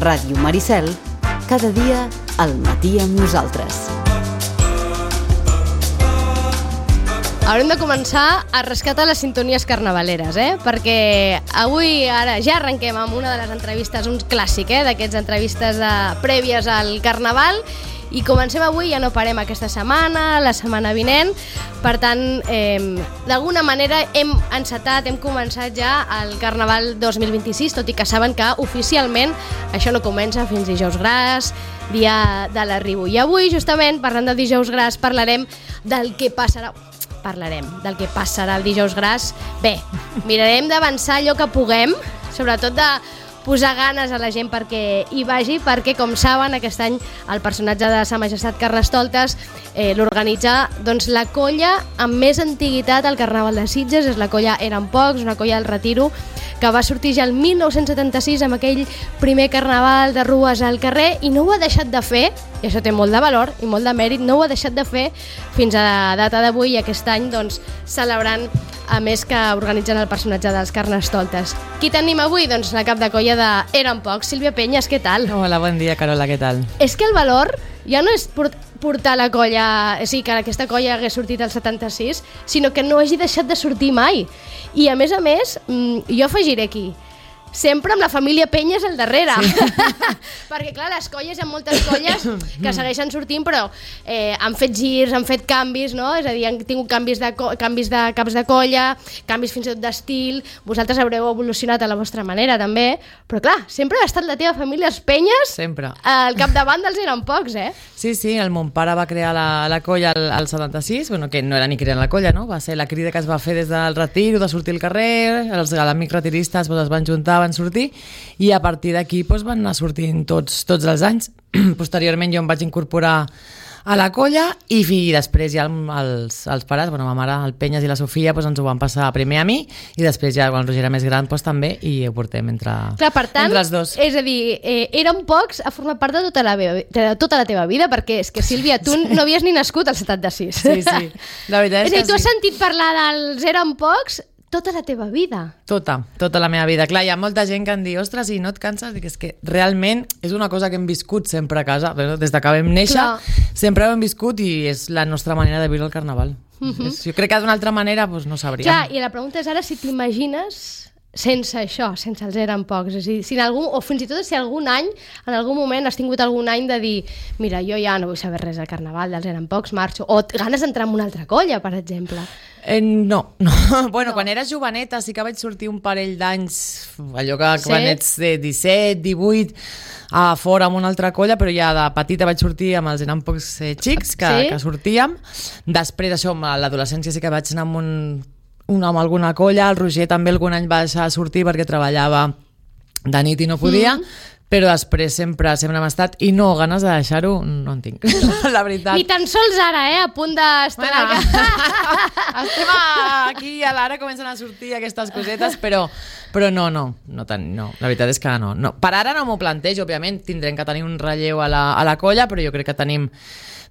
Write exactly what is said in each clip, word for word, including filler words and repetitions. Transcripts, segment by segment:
Ràdio Maricel, cada dia al matí amb nosaltres. Haurem de començar a rescatar les sintonies carnavaleres, eh? Perquè avui, ara, ja arrenquem amb una de les entrevistes, un clàssic, eh? D'aquests entrevistes eh, prèvies al Carnaval, i comencem avui, ja no parem aquesta setmana, la setmana vinent. Per tant, eh, d'alguna manera hem encetat, hem començat ja el Carnaval dos mil vint-i-sis, tot i que saben que oficialment això no comença fins dijous gras, dia de l'arribo. I avui, justament, parlant de dijous gras, parlarem del que passarà... Parlarem del que passarà el dijous gras. Bé, mirarem d'avançar allò que puguem, sobretot de posar ganes a la gent perquè hi vagi, perquè, com saben, aquest any el personatge de Sa Majestat Carnestoltes eh, l'organitza doncs, la colla amb més antiguitat al Carnaval de Sitges, és la colla Eren Pocs, una colla del Retiro, que va sortir ja el mil nou-cents setanta-sis amb aquell primer carnaval de rues al carrer, i no ho ha deixat de fer, i això té molt de valor i molt de mèrit, no ho ha deixat de fer fins a la data d'avui, i aquest any doncs, celebrant, a més que organitzen el personatge dels Carnestoltes. Qui tenim avui? Doncs la cap de colla de Eren Pocs, Sílvia Peñas, què tal? Hola, bon dia, Carola, què tal? És que el valor ja no és portar la colla, o sigui, que aquesta colla hagués sortit al setanta-sis, sinó que no hagi deixat de sortir mai. I a més a més, jo afegiré aquí, sempre amb la família Peñas al darrere. Sí. Perquè, clar, les colles, hi ha moltes colles que segueixen sortint, però eh, han fet girs, han fet canvis, no? És a dir, han tingut canvis de, canvis de caps de colla, canvis fins i tot d'estil. Vosaltres haureu evolucionat a la vostra manera, també. Però, clar, sempre ha estat la teva família, els Peñas, sempre al capdavant dels Eren Pocs, eh? Sí, sí, el mon pare va crear la, la colla al, al setanta-sis, bueno, que no era ni creant la colla, no? Va ser la crida que es va fer des del retiro, de sortir al carrer, els amics retiristes pues, es van juntar, van sortir, i a partir d'aquí pues, van anar sortint tots, tots els anys. Posteriorment jo em vaig incorporar a la colla, i, i després ja els, els pares, bueno, ma mare, el Peñas i la Sofia, pues, ens ho van passar primer a mi, i després ja quan el Roger era més gran pues, també, i ho portem entre, Clar, per tant, entre els dos. És a dir, eh, Eren Pocs ha format part de tota la, de tota la teva vida, perquè és que, Sílvia, tu no havies ni nascut al setanta-sis. Sí, sí, la veritat és, és a dir, que tu has sí. sentit parlar dels Eren Pocs tota la teva vida. Tota, tota la meva vida. Clar, hi ha molta gent que em diu, ostres, i no et canses? Dic, és que realment és una cosa que hem viscut sempre a casa, des de que vam néixer, Clar. sempre ho hem viscut, i és la nostra manera de viure el Carnaval. Uh-huh. és, jo crec que d'una altra manera doncs, no sabríem. Clar, i la pregunta és ara si t'imagines sense això, sense els Eren Pocs. És a dir, si en algun, o fins i tot si algun any, en algun moment has tingut algun any de dir, mira, jo ja no vull saber res del Carnaval, dels Eren Pocs, marxo, o ganes d'entrar en una altra colla, per exemple. Eh, no, no. Bueno, no. Quan era joveneta sí que vaig sortir un parell d'anys, allò que sí? Quan ets de disset, divuit, a fora amb una altra colla, però ja de petita vaig sortir amb els Eren Pocs eh, xics que, sí? que sortíem. Després això, a l'adolescència sí que vaig anar amb, un, un, amb alguna colla, el Roger també algun any va deixar de sortir perquè treballava de nit i no podia, mm. però després sempre sempre hem estat, i no, ganes de deixar-ho no en tinc, la veritat. Ni tan sols ara, eh, a punt d'estar... Bueno, estem aquí i ara comencen a sortir aquestes cosetes, però, però no, no, no, tant, no, la veritat és que no, no. Per ara no m'ho plantejo, òbviament, tindrem que tenir un relleu a la, a la colla, però jo crec que tenim,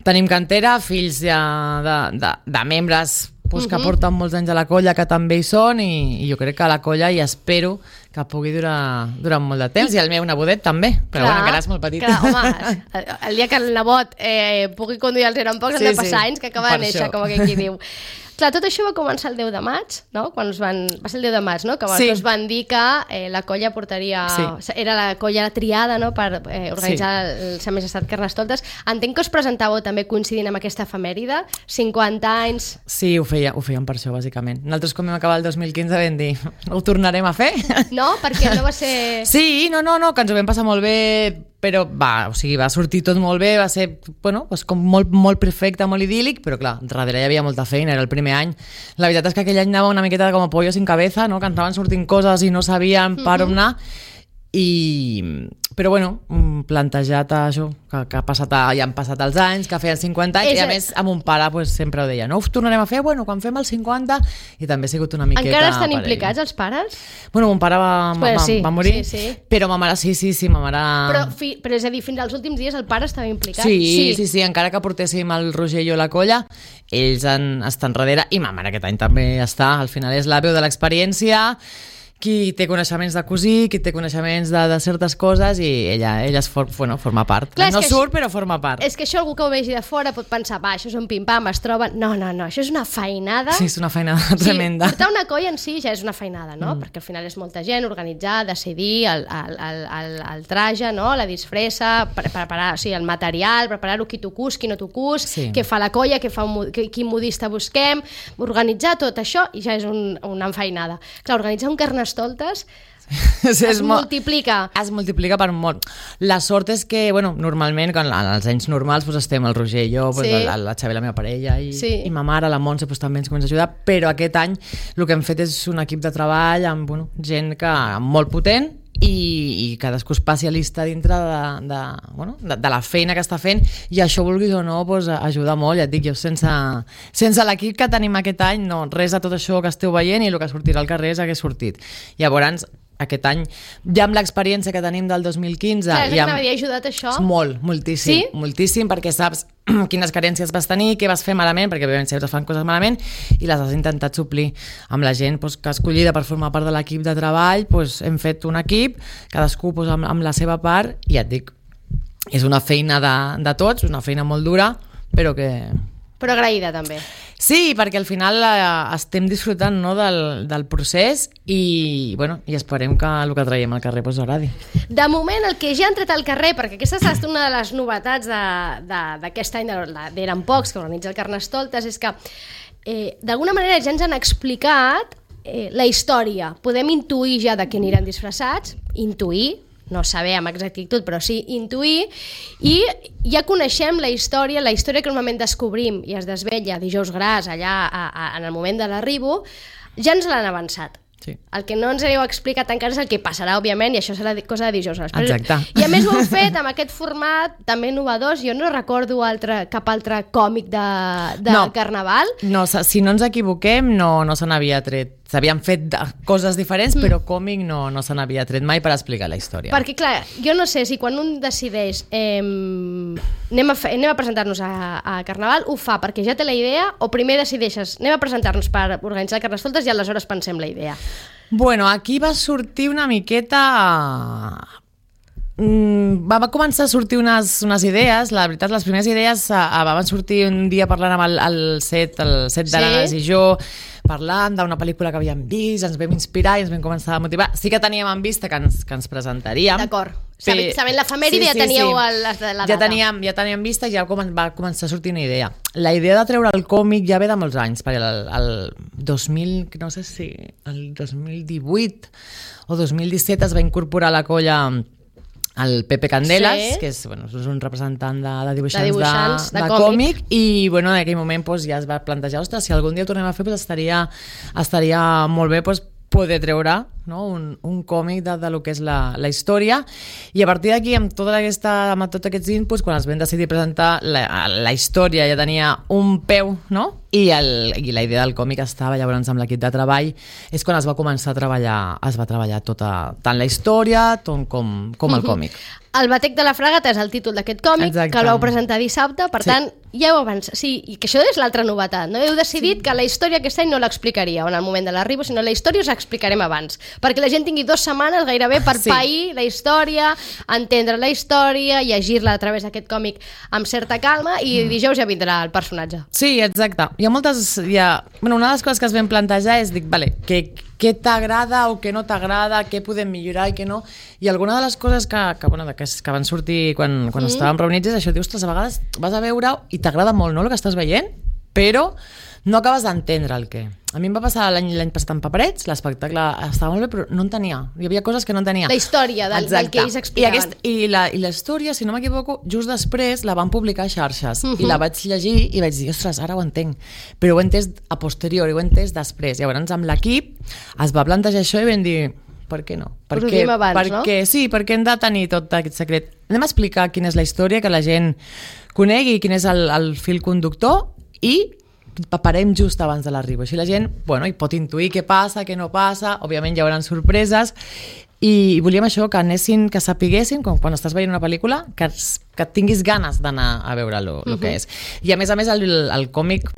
tenim cantera, fills ja de, de, de membres pues, que uh-huh. porten molts anys a la colla, que també hi són, i, i jo crec que a la colla, i espero que pugui durar durant molt de temps, i el meu nebodet també, però clar, bueno, encara és molt petit. Clar, home, el, el dia que el nebot eh, pugui conduir els Eren Pocs, sí, han de passar sí, anys que acaba de néixer, això. Com aquell qui diu. Clar, tot això va començar el deu de maig, no? Quan us van... Va ser el deu de maig, no? Que sí. us van dir que eh, la colla portaria... Sí. Era la colla triada, no?, per eh, organitzar sí. el Sa Majestat Carnestoltes. Entenc que us presentàveu també coincidint amb aquesta efemèride, cinquanta anys... Sí, ho, feia, ho fèiem per això, bàsicament. Nosaltres, com vam acabar el dos mil quinze, vam dir, ho tornarem a fer? No? Perquè no va ser... Sí, no, no, no, que ens ho vam passar molt bé, però va, o sigui, va sortir tot molt bé, va ser, bueno, doncs com molt, molt perfecte, molt idíl·lic, però clar, darrere hi havia molta feina, era el primer any. La veritat és que aquell any anava una miqueta com a pollo sin cabeza, no? Que estaven sortint coses i no sabien per on anar, i... però bueno, plantejat això, que, que ha passat, ja han passat els anys, que feien cinquanta anys, és... i a més amb un pare pues, sempre ho deia, no ho tornarem a fer, bueno, quan fem els cinquanta, i també ha sigut una miqueta... Encara estan implicats els pares? Bueno, mon pare va, pues va, sí, va morir, sí, sí. però ma mare sí, sí, sí, ma mare... Però, fi, però és a dir, fins als últims dies el pare estava implicat? Sí, sí, sí, sí, encara que portéssim el Roger i jo a la colla, ells han, estan darrere, i ma mare aquest any també està, al final és la veu de l'experiència, qui té coneixements de cosir, qui té coneixements de, de certes coses, i ella, ella es for, bueno, forma part. Clar, no surt, això, però forma part. És que això algú que ho vegi de fora pot pensar, va, això és un pim-pam, es troben... No, no, no, això és una feinada... Sí, és una feinada tremenda. Sí, portar una colla en si ja és una feinada, no? Mm. Perquè al final és molta gent, organitzar, decidir el, el, el, el, el traje, no? La disfressa, pre preparar, o sigui, el material, preparar-ho, qui t'ho cus, qui no t'ho cus, sí. Què fa la colla, què fa un, quin modista busquem, organitzar tot això i ja és un, una enfeinada. Clar, organitzar un Carnestoltes es, es multiplica. Es multiplica per molt. La sort és que, bueno, normalment, quan, en els anys normals, pues, estem el Roger i jo, pues, sí. la, la Xavi, la meva parella, i, sí. i ma mare, la Montse, pues, també ens comença a ajudar, però aquest any el que hem fet és un equip de treball amb bueno, gent que, molt potent, i, i cadascú especialista dintre de, de, bueno, de, de la feina que està fent, i això, vulguis o no, pues, ajuda molt. Ja et dic, jo sense, sense l'equip que tenim aquest any, no, res de tot això que esteu veient, i el que sortirà al carrer és el que ha sortit. Llavors, aquest any, ja amb l'experiència que tenim del dos mil quinze... Clar, és que amb... m'havia ajudat això? Molt, moltíssim, sí? moltíssim, perquè saps quines carències vas tenir, què vas fer malament, perquè òbviament sempre fan coses malament, i les has intentat suplir amb la gent doncs, que ha escollida per formar part de l'equip de treball. Doncs, hem fet un equip, cadascú doncs, amb, amb la seva part, i ja et dic, és una feina de, de tots, una feina molt dura, però que... Però agraïda, també. Sí, perquè al final eh, estem disfrutant, no, del, del procés, i, bueno, i esperem que el que traiem al carrer pues, agradi. De moment, el que ja han tret al carrer, perquè aquesta ha estat una de les novetats d'aquest any, d'Eren Pocs, que organitza el Carnestoltes, és que eh, d'alguna manera ja ens han explicat eh, la història. Podem intuir ja de què aniran disfressats, intuir, no saber amb exactitud, però sí intuir, i ja coneixem la història, la història que normalment descobrim i es desvetlla dijous gras allà a, a, en el moment de l'arribo, ja ens l'han avançat. Sí. El que no ens heu explicat encara és el que passarà, òbviament, i això serà cosa de dijous. Exacte. I a més ho heu fet amb aquest format també innovadors. Jo no recordo altre, cap altre còmic de, de no. Carnaval. No, si no ens equivoquem, no, no se n'havia tret. S'havien fet coses diferents, mm. però còmic no, no se n'havia tret mai per explicar la història. Perquè, clar, jo no sé si quan un decideix eh, anem a, fer, anem a presentar-nos a, a Carnaval, ho fa perquè ja té la idea, o primer decideixes anem a presentar-nos per organitzar el Carnestoltes i aleshores pensem la idea. Bueno, aquí va sortir una miqueta... Mm, va, va començar a sortir unes, unes idees. La veritat, les primeres idees uh, van sortir un dia parlant amb el, el set, el set d'Arenas, sí? I jo parlant d'una pel·lícula que havíem vist, ens vam inspirar i ens vam començar a motivar. Sí que teníem en vista que ens, que ens presentaríem. D'acord. Sabent, sabent l'efemèride, sí, sí, ja teníeu sí. el, la data. Ja teníem, ja teníem vista i ja va començar a sortir una idea. La idea de treure el còmic ja ve de molts anys, perquè el, el dos mil, no sé si el dos mil divuit o dos mil disset es va incorporar a la colla el Pepe Candelas, sí. que és, bueno, és un representant de, de dibuixants, de, dibuixants de, de, de còmic, i bueno, en aquell moment pues, ja es va plantejar, ostres, si algun dia ho tornem a fer pues, estaria, estaria molt bé pues, poder treure, no? un, un còmic de, de lo que és la, la història, i a partir d'aquí amb, tota aquesta, amb tots aquests inputs, quan es vam decidir presentar la, la història ja tenia un peu, no? I, el, i la idea del còmic estava llavors amb l'equip de treball, és quan es va començar a treballar, es va treballar tota, tant la història tot com, com el còmic. El Batec de la Fragata és el títol d'aquest còmic. Exacte. Que el vau presentar dissabte, per sí. tant, ja ho avança. Sí, i que això és l'altra novetat, no? Heu decidit sí. que la història aquest any no l'explicaríeu en el moment de l'arribo, sinó la història us explicarem abans, perquè la gent tingui dues setmanes gairebé per sí. pair la història, entendre la història, llegir-la a través d'aquest còmic amb certa calma, i mm. dijous ja vindrà el personatge. Sí, exacte. Hi ha moltes... Hi ha... Bueno, una de les coses que es vam plantejar és, dic, vale, que què t'agrada o què no t'agrada, què podem millorar i què no, i alguna de les coses que, que, bueno, que, que van sortir quan, quan mm. estàvem reunits és això, dius, ostres, a vegades vas a veure i t'agrada molt, no?, el que estàs veient, però no acabes d'entendre el què. A mi em va passar l'any l'any passat amb Paperets, l'espectacle estava molt bé, però no entenia, hi havia coses que no entenia. La història del, del que ells explicaven. I, aquest, i, la, I la història, si no m'equivoco, just després la van publicar a xarxes, uh-huh. i la vaig llegir i vaig dir, ostres, ara ho entenc, però ho he entès a posteriori, ho he entès després. Llavors amb l'equip es va plantejar això i vam dir, per què no? Per què, abans, perquè, no? Sí, perquè hem de tenir tot aquest secret. Anem a explicar quina és la història, que la gent conegui quin és el, el fil conductor, i parem just abans de l'arribo. Així la gent, bueno, hi pot intuir què passa, què no passa, òbviament hi haurà sorpreses, i volíem això, que anessin, que sapiguessin, com quan estàs veient una pel·lícula, que, que tinguis ganes d'anar a veure lo, lo uh-huh. que és. I a més a més el, el còmic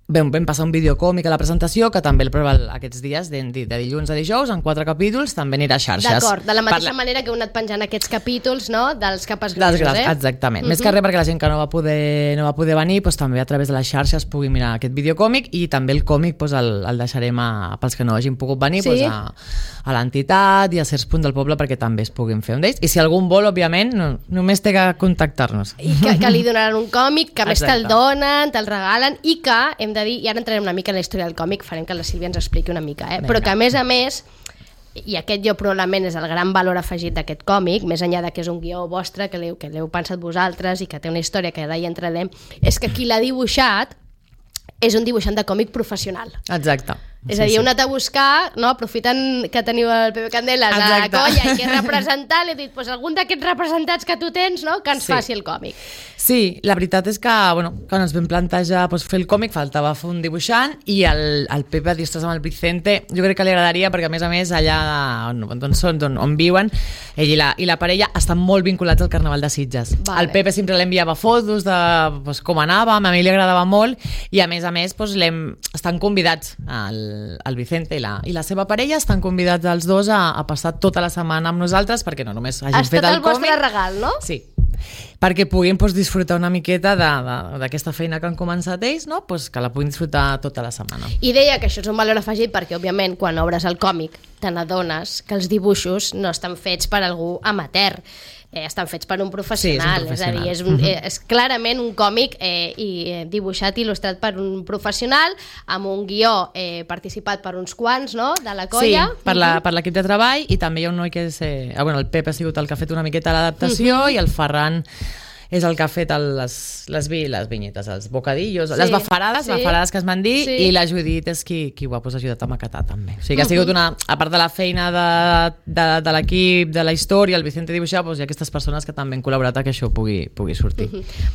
Vam, vam passar un videocòmic a la presentació, que també el prova aquests dies, de, de dilluns a dijous, en quatre capítols, també anirà a xarxes. D'acord, de la mateixa Parla... manera que heu anat penjant aquests capítols, no?, dels capes Dels grisos, gras, eh? exactament. Uh-huh. Més que res perquè la gent que no va poder, no va poder venir, doncs, també a través de les xarxes pugui mirar aquest videocòmic, i també el còmic doncs, el, el deixarem a, pels que no hagin pogut venir, sí? doncs, a, a l'entitat i a certs punts del poble perquè també es puguin fer un d'ells. I si algun vol, òbviament, no, només té que contactar-nos. I que, que li donaran un còmic, que a més Exacte. te'l donen, te'l regalen, i que, hem de dir, i ara entrarem una mica en la història del còmic, farem que la Sílvia ens expliqui una mica, eh? Però que a més a més, i aquest jo probablement és el gran valor afegit d'aquest còmic, més enllà de que és un guió vostre, que l'heu que l'heu pensat vosaltres i que té una història que ara hi entrarem, és que qui l'ha dibuixat és un dibuixant de còmic professional. Exacte. És a dir, heu anat a buscar, no? Aprofitant que teniu el Pepe Candelas a la colla i que és representant, he dit, pues, algun d'aquests representats que tu tens, no?, que ens Sí. faci el còmic. Sí, la veritat és que, bueno, quan ens vam plantejar doncs, fer el còmic, faltava fer un dibuixant, i el, el Pepe va dir, ostres, amb el Vicente, jo crec que li agradaria, perquè a més a més allà on, on són, on, on viuen, ell i la, i la parella estan molt vinculats al Carnaval de Sitges. Vale. El Pepe sempre l'enviava fotos de doncs, com anàvem, a mi li agradava molt, i a més a més doncs, l'hem, estan convidats, el, el Vicente i la, i la seva parella estan convidats els dos a, a passar tota la setmana amb nosaltres, perquè no només hagin Ha fet estat el el vostre còmic. regal, no? Sí, perquè puguin doncs, disfrutar una miqueta d'aquesta feina que han començat ells, no? Pues que la puguin disfrutar tota la setmana. I deia que això és un valor afegit perquè, òbviament, quan obres el còmic te n'adones que els dibuixos no estan fets per algú amateur, eh, estan fets per un professional, Sí, és un és a dir, és, professional. un, eh, és clarament un còmic eh, i eh, dibuixat i il·lustrat per un professional, amb un guió eh, participat per uns quants, no?, de la colla. Sí, per la- per l'equip de treball, i també hi ha un noi que és... Eh, ah, bueno, el Pep ha sigut el que ha fet una miqueta l'adaptació, i el Ferran és el que ha fet el, les, les, vi, les vinyetes, els bocadillos, Sí, les bafarades, sí. bafarades que es van dir, Sí. i la Judit és qui, qui ho ha pues, ajudat a maquetar també. O sigui que ha sigut una, a part de la feina de, de, de l'equip, de la història, el Vicente dibuixar, doncs hi ha aquestes persones que també han col·laborat a que això pugui, pugui sortir.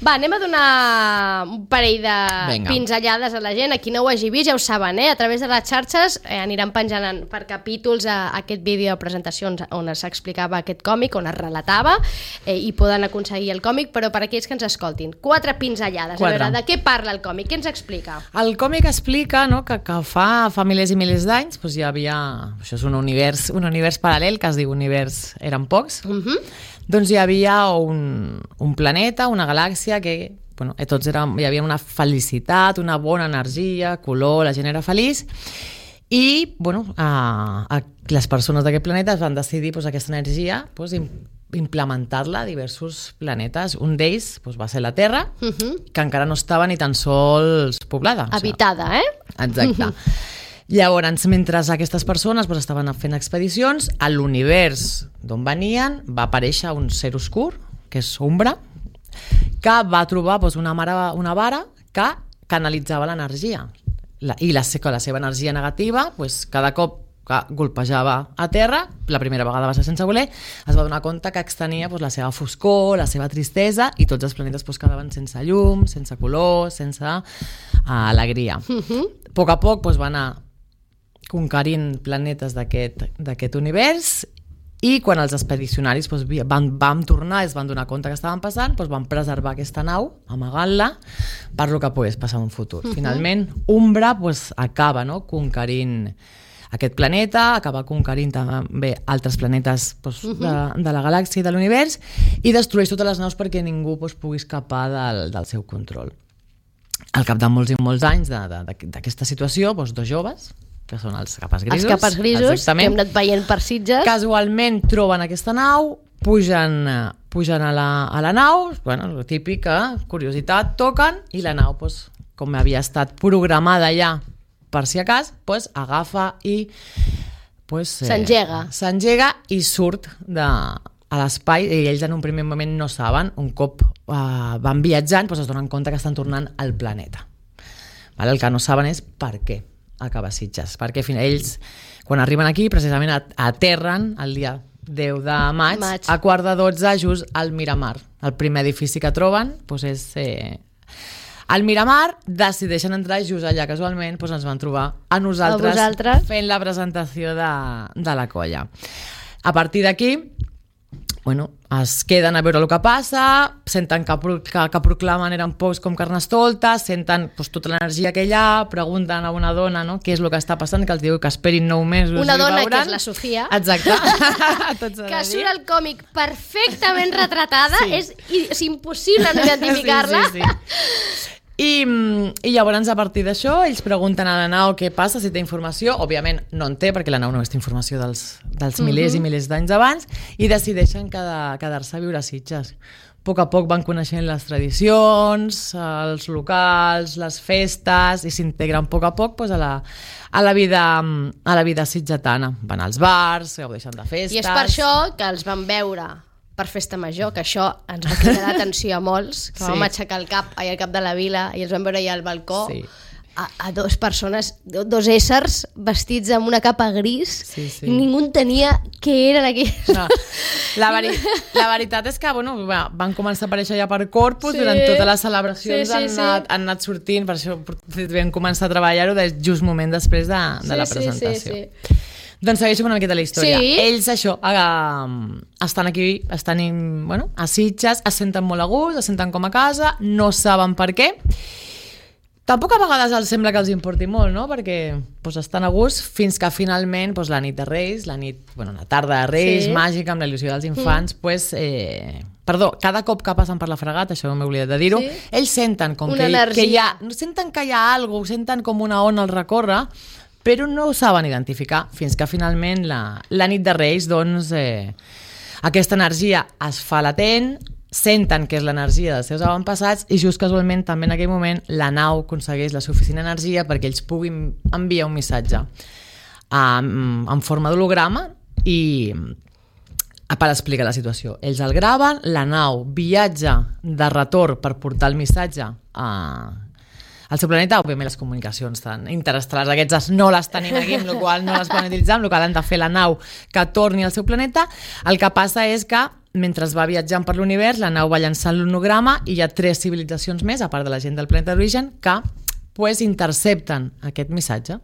Va, anem a donar un parell de Vinga. pinzellades a la gent. A qui no ho hagi vist ja ho saben, eh? A través de les xarxes eh, aniran penjant en, per capítols a, a aquest vídeo de presentacions on s'explicava aquest còmic, on es relatava, eh, i poden aconseguir el còmic, però per aquells que ens escoltin, quatre pinzellades. Quatre. A veure, de què parla el còmic? Què ens explica? El còmic explica, no, que, que fa, fa milers i milers d'anys doncs hi havia... Això és un univers, un univers paral·lel que es diu univers Eren Pocs. Uh -huh. Doncs hi havia un, un planeta, una galàxia que... Bueno, tots érem, hi havia una felicitat, una bona energia, color, la gent era feliç, i bueno, a, a les persones d'aquest planeta es van decidir doncs, aquesta energia doncs, implementar-la a diversos planetes. Un d'ells doncs, va ser la Terra, Uh -huh. que encara no estava ni tan sols poblada. O sigui, Habitada, eh? exacte. Llavors, mentre aquestes persones doncs, estaven fent expedicions, a l'univers d'on venien va aparèixer un ser oscur, que és Umbra, que va trobar doncs, una, mare, una vara que canalitzava l'energia. La, I la, la seva energia negativa, doncs, cada cop que golpejava a terra, la primera vegada va ser sense voler, es va donar compte que extenia doncs, la seva foscor, la seva tristesa, i tots els planetes doncs, quedaven sense llum, sense color, sense uh, alegria. Uh -huh. A poc a poc doncs, va anar conquerint planetes d'aquest univers, i quan els expedicionaris doncs, van, van tornar i es van donar compte que estaven passant, doncs van preservar aquesta nau, amagant-la, per lo que pogués passar en un futur. Uh -huh. Finalment, Umbra doncs, acaba no, conquerint aquest planeta, acaba conquerint també altres planetes doncs, uh -huh. de, de la galàxia i de l'univers, i destrueix totes les naus perquè ningú doncs, pugui escapar del, del seu control. Al cap de molts i molts anys d'aquesta situació, doncs, dos joves, que són els capes grisos, Els capes grisos, exactament, que hem anat veient per Sitges. Casualment troben aquesta nau, pugen, pugen a, la, a la nau, bueno, el típic, eh? Curiositat, toquen, i la nau, doncs, com havia estat programada ja per si a cas, pues, agafa i pues, eh, s'engega. S'engega i surt de, a l'espai, i ells en un primer moment no saben, un cop eh, van viatjant, pues, es donen compte que estan tornant al planeta. Vale? El que no saben és per què acaba Sitges, perquè ells, quan arriben aquí, precisament aterren el dia deu de maig, maig. a quart de dotze, just al Miramar. El primer edifici que troben pues, és... Eh, al Miramar, decideixen entrar just allà casualment, doncs ens van trobar a nosaltres, a vosaltres fent la presentació de, de la colla. A partir d'aquí, bueno, es queden a veure el que passa, senten que, que, que proclamen eren pocs com Carnestoltes, senten pues, tota l'energia que hi ha, pregunten a una dona no, què és el que està passant, que els diu que esperin nou mesos. Una dona que és la Sofia. Exacte. que surt al còmic perfectament retratada, sí. és, és impossible no identificar-la. Sí, sí, sí. I, i llavors a partir d'això ells pregunten a la nau què passa, si té informació, òbviament no en té perquè la nau no té informació dels, dels milers uh-huh. i milers d'anys abans, i decideixen quedar, quedar-se a viure a Sitges. A poc a poc van coneixent les tradicions, els locals, les festes, i s'integren a poc a poc pues, a, la, a, la vida, a la vida sitgetana. Van als bars, gaudeixen de festes... I és per això que els van veure per festa major, que això ens va cridar l'atenció a molts, que sí. vam aixecar el cap allà al cap de la vila i els vam veure allà al balcó, sí. a, a dos persones, dos éssers vestits amb una capa gris, sí, sí. i ningú tenia què eren aquí. No. La, veri la veritat és que bueno, van començar a aparèixer ja per Corpus, sí. durant totes les celebracions sí, sí, han, anat, sí. han anat sortint, per això vam començar a treballar-ho just moment després de, de sí, la presentació. Sí, sí, sí. Doncs segueixo una miqueta la història. Sí. Ells, això, eh, estan aquí, estan in, bueno, a Sitges, es senten molt a gust, es senten com a casa, no saben per què. Tampoc a vegades els sembla que els importi molt, no? Perquè pues, estan a gust fins que finalment pues, la nit de Reis, la nit, bueno, la tarda de Reis, sí. màgica, amb la il·lusió dels infants, mm. pues, eh, perdó, cada cop que passen per la fragata, això m'he oblidat de dir-ho, sí. ells senten com que, que hi ha, senten que hi ha alguna cosa, senten com una ona al recórrer, però no ho saben identificar fins que finalment la, la nit de Reis doncs, eh, aquesta energia es fa latent, senten que és l'energia dels seus avantpassats i just casualment també en aquell moment la nau aconsegueix la suficient energia perquè ells puguin enviar un missatge um, en forma d'holograma i per explicar la situació. Ells el graven, la nau viatja de retorn per portar el missatge a al seu planeta, òbviament les comunicacions tan interestel·lars aquestes no les tenim aquí, amb la qual no les poden utilitzar, amb la qual han de fer la nau que torni al seu planeta. El que passa és que mentre va viatjant per l'univers, la nau va llançant l'honograma i hi ha tres civilitzacions més, a part de la gent del planeta d'origen, que pues, intercepten aquest missatge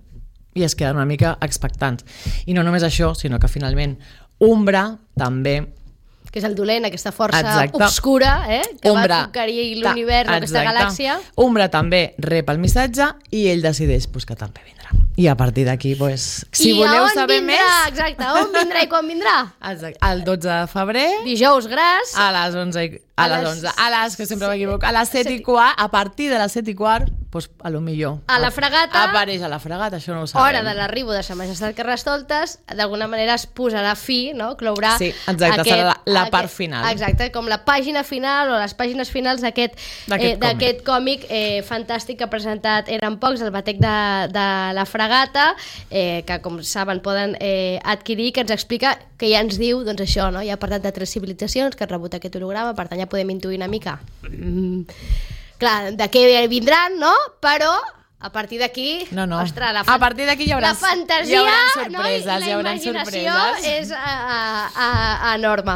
i es queden una mica expectants. I no només això, sinó que finalment Umbra també, que és el dolent, aquesta força exacte. obscura, eh? que Umbra, va conquerir l'univers, aquesta galàxia. Umbra també rep el missatge i ell decideix pues, que també vindrà. I a partir d'aquí, pues, si I voleu saber vindrà? més... Exacte, on vindrà i quan vindrà? Exacte, el dotze de febrer. Dijous gras. A les onze, a, a les onze, a les, que sempre m'equivoco, a les set i quart, a partir de les set i quart, pues, a lo millor. A la fragata. Apareix a la fragata, això no ho sabem. Hora de l'arribo de Sa Majestat Carnestoltes, d'alguna manera es posarà fi, no? Clourà sí, exacte, aquest, serà la, la part aquest, final. Exacte, com la pàgina final o les pàgines finals d'aquest eh, còmic, còmic eh, fantàstic que ha presentat Eren Pocs, el batec de, de la fragata, eh, que com saben poden eh, adquirir, que ens explica, que ja ens diu, doncs això, no? Ja ha parlat de tres civilitzacions que han rebut aquest holograma, per tant ja podem intuir una mica mm, clar, de què vindran, no? Però a partir d'aquí, no, no. ostres, la, a partir d'aquí hi haurà, la fantasia, hi haurà sorpreses, no? I la imaginació és a, a, a, enorme.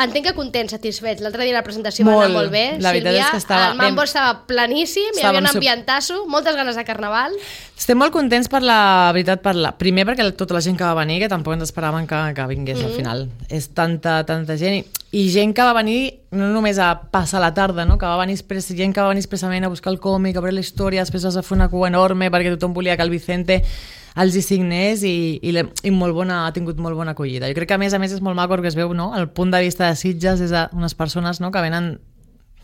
Entenc que contents, satisfets. L'altre dia la presentació molt, va anar molt bé, la veritat Sílvia, és que estava, el mambo estava planíssim, hi havia un ambientasso, moltes ganes de carnaval. Estem molt contents per la veritat, per la, primer perquè tota la gent que va venir, que tampoc ens esperaven que, que vingués mm -hmm. al final. És tanta, tanta gent i, i gent que va venir no només a passar la tarda, no? Que va venir expres, gent que va venir expressament a buscar el còmic, a veure la història, després vas a fer una cua enorme perquè tothom volia que el Vicente els hi signés i, i, i molt bona, ha tingut molt bona acollida. Jo crec que a més a més és molt maco que es veu, no? El punt de vista de Sitges és unes persones, no? Que venen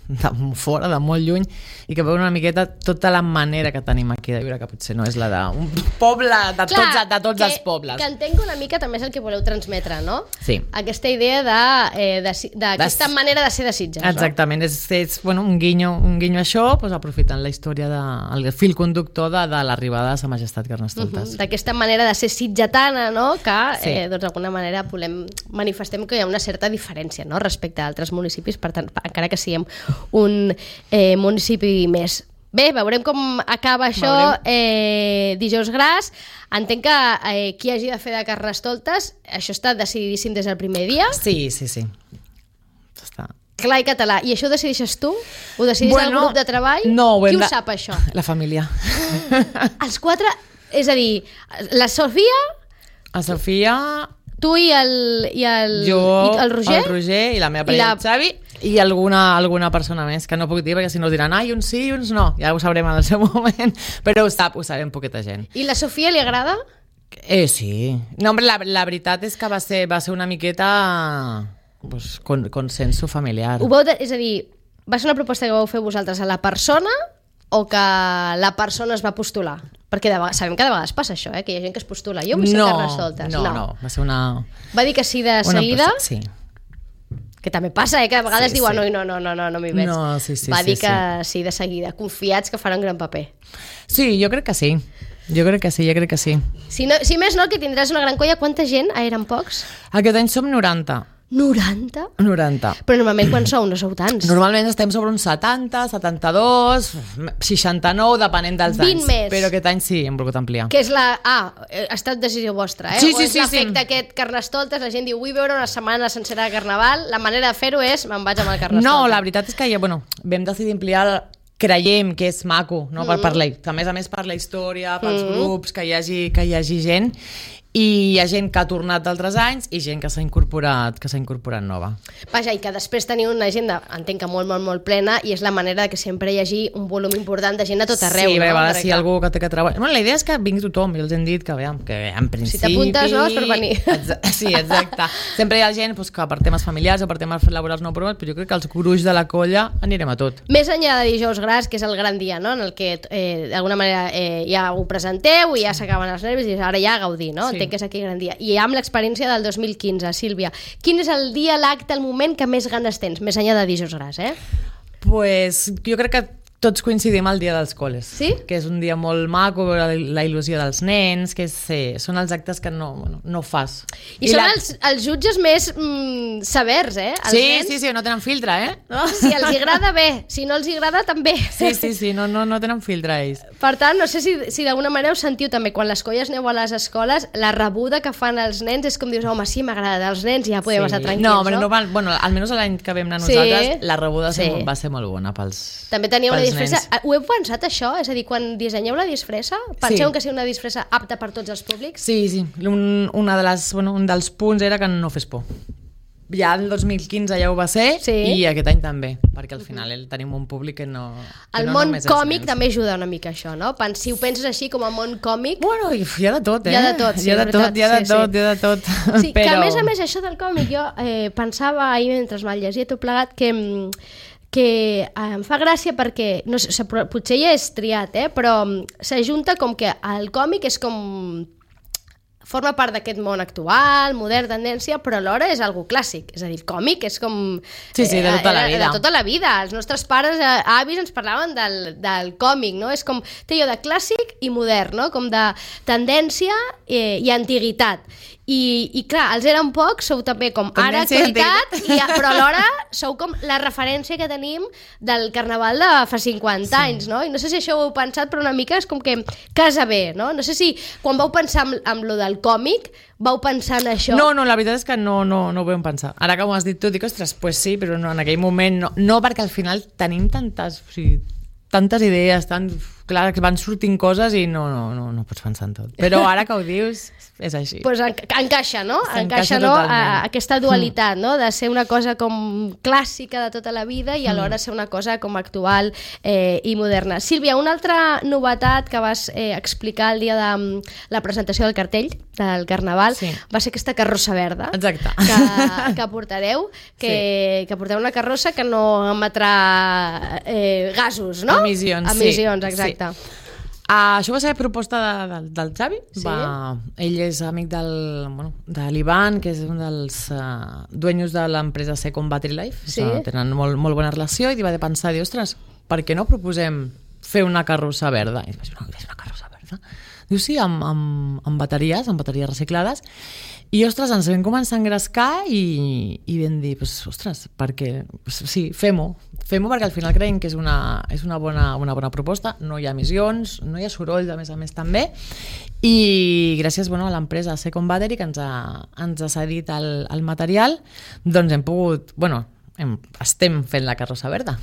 de fora, de molt lluny, i que veuen una miqueta tota la manera que tenim aquí de viure, que potser no és la d'un poble, de Clar, tots, de tots que, els pobles. Que entenc una mica també és el que voleu transmetre, no? Sí. Aquesta idea de, eh, de, d'aquesta de, manera de ser de Sitges. Exactament, no? és, és bueno, un guinyo, un guinyo a això, doncs, aprofitant la història, de, el fil conductor de, de l'arribada de Sa Majestat Carnestoltes. Uh-huh. D'aquesta manera de ser sitgetana, no? Que sí. eh, doncs, d'alguna manera volem, manifestem que hi ha una certa diferència, no? Respecte a altres municipis, per tant, encara que siguem un eh, municipi més. Bé, veurem com acaba això eh, dijous gras. Entenc que eh, qui hagi de fer de Carnestoltes, això està decididíssim des del primer dia. Sí, sí, sí. Està. Clar i català. I això ho decideixes tu? Ho decideix bueno, el grup de treball? No, ho qui ho de... sap, això? La família. Els quatre, és a dir, la Sofia... La Sofia... Tu i el, i el, Jo, i el Roger? el Roger i la meva parella, I la... el Xavi, i alguna, alguna persona més, que no puc dir, perquè si no diran, ai, uns sí i uns no. Ja ho sabrem en el seu moment, però ho sap, ho sabem poqueta gent. I la Sofia li agrada? Eh, sí. No, hombre, la, la veritat és que va ser, va ser una miqueta pues, con, consenso familiar. Ho vau de, és a dir, va ser una proposta que vau fer vosaltres a la persona o que la persona es va postular? Perquè de vegades, sabem que de vegades passa això, eh? Que hi ha gent que es postula. Jo vull ser no, Carnestoltes. No, no, no, va ser una... Va dir que sí de seguida? Una, sí. Que també passa, eh? Que a vegades sí, diuen sí. no, no, no, no, no m'hi veig. No, sí, sí, va sí, dir que sí. sí de seguida, confiats que farà un gran paper. Sí, jo crec que sí. Jo crec que sí, jo crec que sí. Si, no, si més no, que tindràs una gran colla. Quanta gent? Ah, eren pocs? Aquest any som noranta. noranta? noranta. Però normalment quan sou? No sou tants. Normalment estem sobre uns setanta, setanta-dos, seixanta-nou, depenent dels vint anys. més. Però aquest any sí, hem volgut ampliar. Que és la... Ah, ha estat decisió vostra, eh? Sí, o sí, és sí, l'efecte sí. aquest Carnestoltes, la gent diu vull veure una setmana sencera de Carnaval, la manera de fer-ho és me'n vaig amb el Carnestoltes. No, la veritat és que ja, bueno, vam decidir ampliar, creiem que és maco, no? Mm. per, per la, a més a més per la història, pels mm. grups, que hi hagi, que hi hagi gent, i hi ha gent que ha tornat d'altres anys i gent que s'ha incorporat, que s'ha incorporat nova. Vaja, i que després teniu una agenda, entenc que molt, molt, molt plena, i és la manera que sempre hi hagi un volum important de gent a tot arreu. Sí, no? a vegades Perquè si algú que té que treballar... Bueno, la idea és que vingui tothom, i els hem dit que, veiem, que en principi... Si t'apuntes, no? És per venir. Exa... Sí, exacte. Sempre hi ha gent pues, que per temes familiars o per temes laborals no provats, però jo crec que els gruix de la colla anirem a tot. Més enllà de dijous gras, que és el gran dia, no? En el que eh, d'alguna manera eh, ja ho presenteu i ja s'acaben els nervis i ara ja a gaudir, no? Sí. Entenc que és aquí el gran dia. I amb l'experiència del dos mil quinze, Sílvia, quin és el dia, l'acte, el moment que més ganes tens, més enllà de dijous gras, eh? Pues jo crec que tots coincidim al dia dels col·les. Sí? Que és un dia molt maco, la, la il·lusió dels nens, que és, sí, són els actes que no, bueno, no fas. I, I són la... els, els jutges més mm, severs, eh? Els sí, nens... sí, sí, no tenen filtre, eh? No? Si els agrada, bé. Si no els agrada, també. Sí, sí, sí, no, no, no tenen filtre, ells. Per tant, no sé si, si d'alguna manera us sentiu també, quan les colles aneu a les escoles, la rebuda que fan els nens és com dius, home, sí, m'agrada els nens, ja podem sí. estar tranquils, no? no? Però no van, bueno, almenys l'any que vam anar sí. nosaltres, la rebuda sí. va ser molt bona pels També tenia una disfressa. Nens. Ho heu pensat, això? És a dir, quan dissenyeu la disfressa, penseu sí. que sigui una disfressa apta per tots els públics? Sí, sí. Un, una de les, bueno, un dels punts era que no fes por. Ja el dos mil quinze ja ho va ser sí. i aquest any també, perquè al final uh-huh. tenim un públic que no... Que el no món còmic nens. també ajuda una mica això, no? Si ho penses així com a món còmic... Bueno, hi ha de tot, eh? Hi ha de tot, sí, hi ha de tot, hi ha de sí, tot, sí. hi ha de tot. Sí, Però... que a més a més això del còmic jo eh, pensava ahir mentre me'l llegia tot plegat que... que eh, em fa gràcia perquè, no sé, potser ja és triat, eh, però s'ajunta com que el còmic és com... forma part d'aquest món actual, modern, tendència, però alhora és algo clàssic. És a dir, el còmic és com... Sí, sí, de tota la vida. De tota la vida. Els nostres pares, eh, avis, ens parlaven del, del còmic, no? És com, té allò de clàssic i modern, no? Com de tendència eh, i antiguitat. I, i clar, els eren pocs, sou també com ara actualitat, i, però alhora sou com la referència que tenim del carnaval de fa cinquanta sí. anys, no? I no sé si això ho heu pensat, però una mica és com que casa bé, no? No sé si quan vau pensar amb, amb lo del còmic, vau pensar en això? No, no, la veritat és que no, no, no ho vam pensar. Ara que m'ho has dit tu, dic, ostres, pues sí, però no, en aquell moment no, no perquè al final tenim tantes, o sigui, tantes idees, tan, clar, que van sortint coses i no, no, no, no pots pensar en tot. Però ara que ho dius, és així. Pues en, encaixa, no? Encaixa encaixa, no? A, aquesta totalment. dualitat, no? De ser una cosa com clàssica de tota la vida i alhora ser una cosa com actual eh, i moderna. Sílvia, una altra novetat que vas eh, explicar el dia de um, la presentació del cartell del Carnaval sí. va ser aquesta carrossa verda. Exacte. Que, que portareu, que, sí. que portareu una carrossa que no emetrà eh, gasos, no? Emissions, Emissions, sí. exacte. Sí. Uh, això va ser proposta de, de, del Xavi. Sí? Va, ell és amic del, bueno, de l'Ivan, que és un dels uh, dueños de l'empresa Second Battery Life. Sí? O sigui, tenen molt, molt bona relació i va de pensar, dir, ostres, per què no proposem fer una carrossa verda? I vaig dir, no, és una carrossa verda? Diu, sí, amb, amb, amb bateries, amb bateries reciclades. I, ostres, ens vam començar a engrescar i, i vam dir, pues, ostres, perquè, pues, sí, fem-ho. Fem-ho perquè al final creiem que és una, és una, bona, una bona proposta, no hi ha emissions, no hi ha soroll, a més a més també, i gràcies bueno, a l'empresa Second Battery que ens ha, ens ha cedit el, el material, doncs hem pogut, bueno, hem, estem fent la carrossa verda.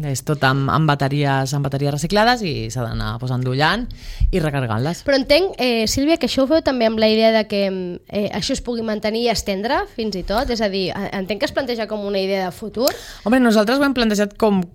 És tot amb, amb, bateries, amb bateries reciclades i s'ha d'anar pues, endollant i recargant-les. Però entenc, eh, Sílvia, que això ho feu també amb la idea de que eh, això es pugui mantenir i estendre fins i tot, és a dir, entenc que es planteja com una idea de futur. Home, nosaltres ho hem plantejat com,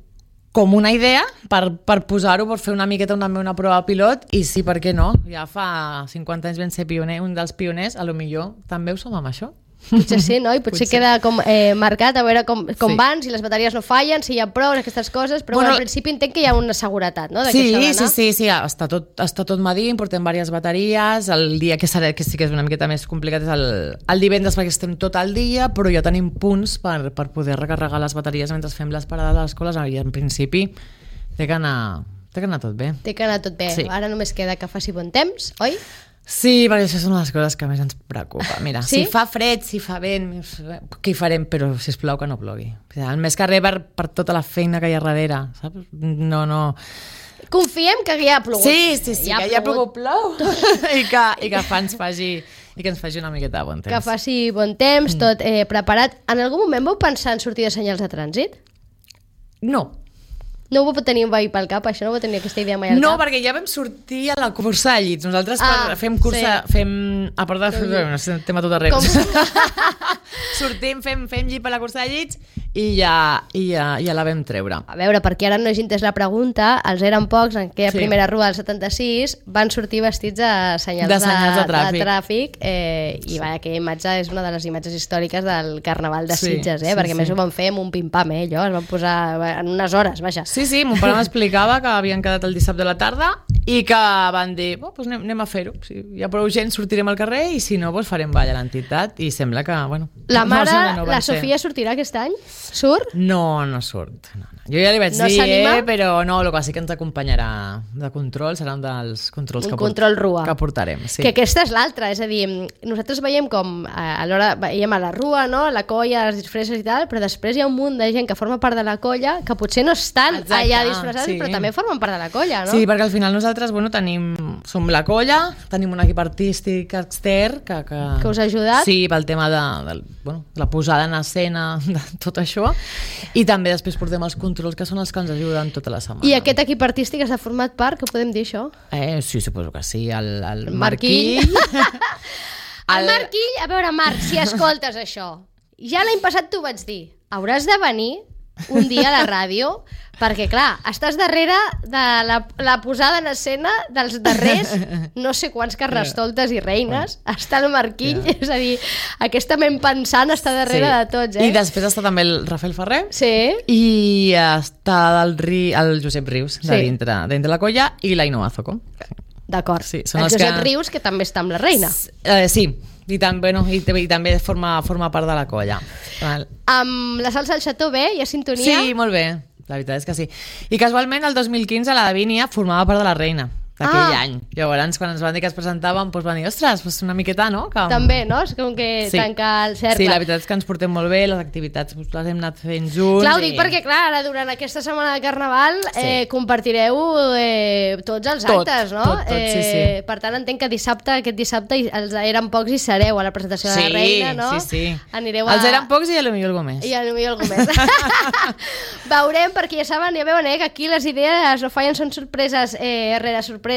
com una idea per, per posar-ho, per fer una miqueta una, una prova pilot, i sí, per què no? Ja fa cinquanta anys vam ser pioner, un dels pioners, a lo millor també ho som amb això. Potser sí, no? I potser, potser. queda com eh, marcat a veure com, com sí. van, si les bateries no fallen, si hi ha prou, aquestes coses, però bueno, al principi entenc que hi ha una seguretat, no? De sí, que sí, sí, sí, està tot, està tot medint, portem diverses bateries, el dia que, serà, que sí que és una miqueta més complicat és el, el divendres perquè estem tot el dia, però ja tenim punts per, per poder recarregar les bateries mentre fem les parades a les escoles, i en principi té que anar, té que anar tot bé. Té que anar tot bé. Sí. Ara només queda que faci bon temps, oi? Sí, perquè això són les coses que més ens preocupa. Mira, sí? si fa fred, si fa vent, què hi farem? Però, sisplau, que no plogui. El més que res per, per tota la feina que hi ha darrere, saps? No, no... Confiem que ja ha plogut. Sí, sí, sí, ja que ja ha plogut plou. I que, i que fa, ens faci, i que ens faci una miqueta de bon temps. Que faci bon temps, tot eh, preparat. En algun moment vau pensar en sortir de senyals de trànsit? No. No ho vau tenir mai pel cap, això? No vau tenir aquesta idea mai al no, cap? No, perquè ja vam sortir a la cursa de llits. Nosaltres ah, per, fem cursa... Sí. Fem, a part de fer... No sé, tema tot arreu. Com... Sortim, fem, fem llit per la cursa de llits i ja, i ja, ja la vam treure. A veure, perquè ara no hagi entès la pregunta, els eren pocs en aquella sí. primera rua del setanta-sis van sortir vestits de senyals de, senyals de, de tràfic, de tràfic eh, i sí. va, aquella imatge és una de les imatges històriques del Carnaval de sí, Sitges, eh, sí, perquè sí. més ho van fer amb un pim-pam, eh, allò, es van posar en unes hores, vaja. Sí, sí, mon pare m'explicava que havien quedat el dissabte de la tarda i que van dir, oh, doncs anem, anem a fer-ho, si hi ha prou gent sortirem al carrer i si no, doncs farem ball a l'entitat i sembla que, bueno... La mare, no, no la Sofia ser. Sortirà aquest any? Surt? No, no surt. No, no. Jo ja li vaig no dir, eh, però no, el que sí que ens acompanyarà de control serà un dels controls un que, control port rua. que portarem. Sí. Que aquesta és l'altra, és a dir, nosaltres veiem com a l'hora, veiem a la rua, no? La colla, les disfresses i tal, però després hi ha un munt de gent que forma part de la colla que potser no estan Exacte, allà disfressats, sí. però també formen part de la colla, no? Sí, perquè al final nosaltres, bueno, tenim, som la colla, tenim un equip artístic extern que... Que, que us ha ajudat? Sí, pel tema de, de, bueno, de la posada en escena, de tot això, i també després portem els controls que són els que ens ajuden tota la setmana. I aquest equip artístic està format per, que podem dir això? Eh, sí, suposo que sí, el, el, el Marquill. Marquill. el Marquill, a veure, Marc, si escoltes això, ja l'any passat t'ho vaig dir, hauràs de venir un dia a la ràdio, perquè clar, estàs darrere de la, la posada en escena dels darrers no sé quants carnestoltes i reines, està el Marquill, yeah. és a dir, aquesta ment pensant està darrere sí. de tots, eh? I després està també el Rafael Ferrer sí. i està el, Ri, el Josep Rius de sí. dintre, dintre la colla i l'Ainoa Zoco. D'acord, sí, el Josep que... Rius que també està amb la reina. Uh, sí, i també, bueno, i, i també forma, forma part de la colla. Amb la salsa al Xató bé, hi ha sintonia? Sí, molt bé, la veritat és que sí. I casualment el dos mil quinze la Davínia formava part de la reina d'aquell ah. any. Llavors, quan ens van dir que es presentàvem, doncs van dir, ostres, doncs una miqueta, no? Que... També, no? És com que sí. tancar el cercle. Sí, la veritat és que ens portem molt bé, les activitats doncs, les hem anat fent junts. Clar, ho i... dic perquè, clar, ara durant aquesta setmana de Carnaval sí. eh, compartireu eh, tots els tot, actes, no? Tot, tot, eh, sí, sí. Per tant, entenc que dissabte, aquest dissabte, els eren pocs i sereu a la presentació sí, de la reina, no? Sí, sí, Anireu a... Els eren pocs i a lo millor algú més. I a lo millor algú més. Veurem, perquè ja saben, ja veuen, eh, que aquí les idees no fallen, són sorpreses eh, rere sorpreses.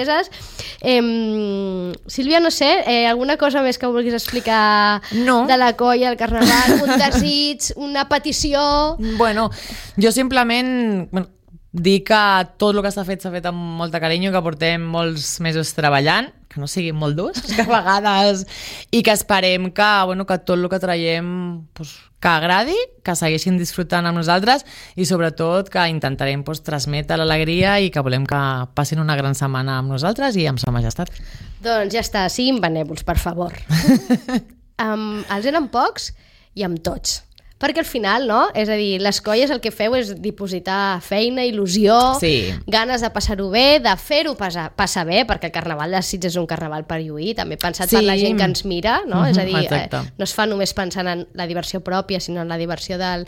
Eh, Sílvia, no sé, eh, alguna cosa més que vulguis explicar no. de la colla, el Carnaval, un desig, una petició? Bueno, jo simplement bueno, dir que tot el que s'ha fet s'ha fet amb molta carinyo, que portem molts mesos treballant, que no siguin molt durs, que a vegades, i que esperem que, bueno, que tot el que traiem pues, que agradi, que segueixin disfrutant amb nosaltres i sobretot que intentarem pues, transmetre l'alegria i que volem que passin una gran setmana amb nosaltres i amb sa majestat. Doncs ja està, siguin benèvols, per favor. um, els eren pocs i amb tots. Perquè al final, no? És a dir, les colles el que feu és dipositar feina, il·lusió, sí. ganes de passar-ho bé, de fer-ho passar, passar bé, perquè el Carnaval de Sitges és un carnaval per lluir, també pensat sí. per la gent que ens mira, no? Mm-hmm, és a dir, eh, no es fa només pensant en la diversió pròpia, sinó en la diversió del...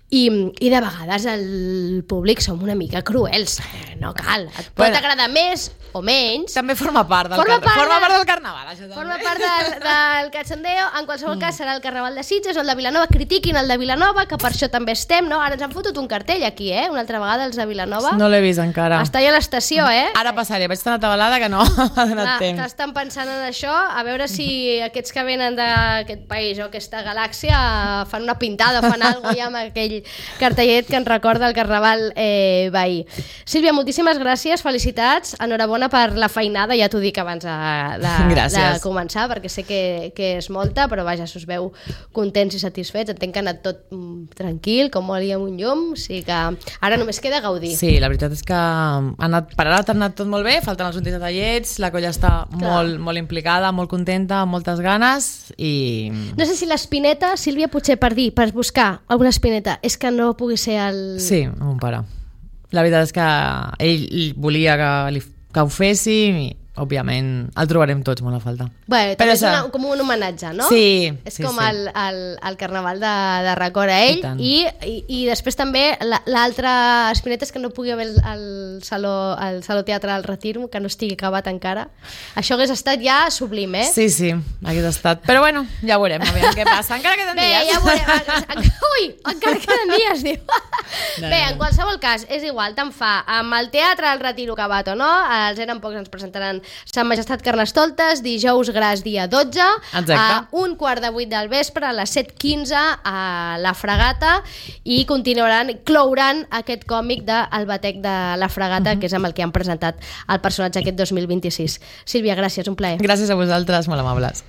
I, i de vegades el públic som una mica cruels, no cal, et pot Bueno. agradar més o menys. També forma part del, Forma car... part forma de- part del carnaval, això també. Forma part del, del cachondeo. En qualsevol cas serà el Carnaval de Sitges o el de Vilanova. Critiquin el de Vilanova, que per això també estem, no? Ara ens han fotut un cartell aquí, eh? Una altra vegada els de Vilanova. No l'he vist encara. Està allà a l'estació, eh? Ara passaré, vaig estar atabalada que no ha donat Clar, temps. estan pensant en això, a veure si aquests que venen d'aquest país o aquesta galàxia fan una pintada o fan alguna cosa ja amb aquell cartellet que ens recorda el Carnaval eh, veí. Sílvia, moltíssimes gràcies, felicitats, enhorabona per la feinada, ja t'ho dic abans de, de, Gràcies. de començar, perquè sé que, que és molta, però vaja, si us veu contents i satisfets, entenc que ha anat tot mm, tranquil, com oli amb un llum, o sigui que ara només queda gaudir. Sí, la veritat és que ha anat, per ara ha anat tot molt bé, falten els últims detallets, la colla està molt, molt implicada, molt contenta, amb moltes ganes i... No sé si l'espineta, Sílvia, potser per dir, per buscar alguna espineta, és que no pugui ser el... Sí, amb mon pare. La veritat és que ell volia que, li, que ho féssim i, òbviament, el trobarem tots molt a falta. Bé, Però també és això- una, com un homenatge, no? Sí, És sí, com sí. El, el, el carnaval de, de record a ell I tant. i, i, i després també la- l'altra espineta és que no pugui haver el, el, saló, el Saló Teatre del Retiro, que no estigui acabat encara. Això hagués estat ja sublim, eh? Sí, sí, hagués estat. Però bueno, ja veurem, a veure què passa. Encara queden Bé, dies. ja veurem. En- en- Ui, encara queden dies, diu. No, Bé, no. en qualsevol cas, és igual, tant fa amb el Teatre del Retiro acabat o no, els eren pocs, ens presentaran Sant Majestat Carnestoltes, dijous gras dia dotze, Exacte. a un quart de vuit del vespre, a les set quinze a la Fragata, i continuaran, clouran aquest còmic de El Batec de la Fragata, uh -huh. que és amb el que han presentat el personatge aquest dos mil vint-i-sis. Sílvia, gràcies, un plaer. Gràcies a vosaltres, molt amables.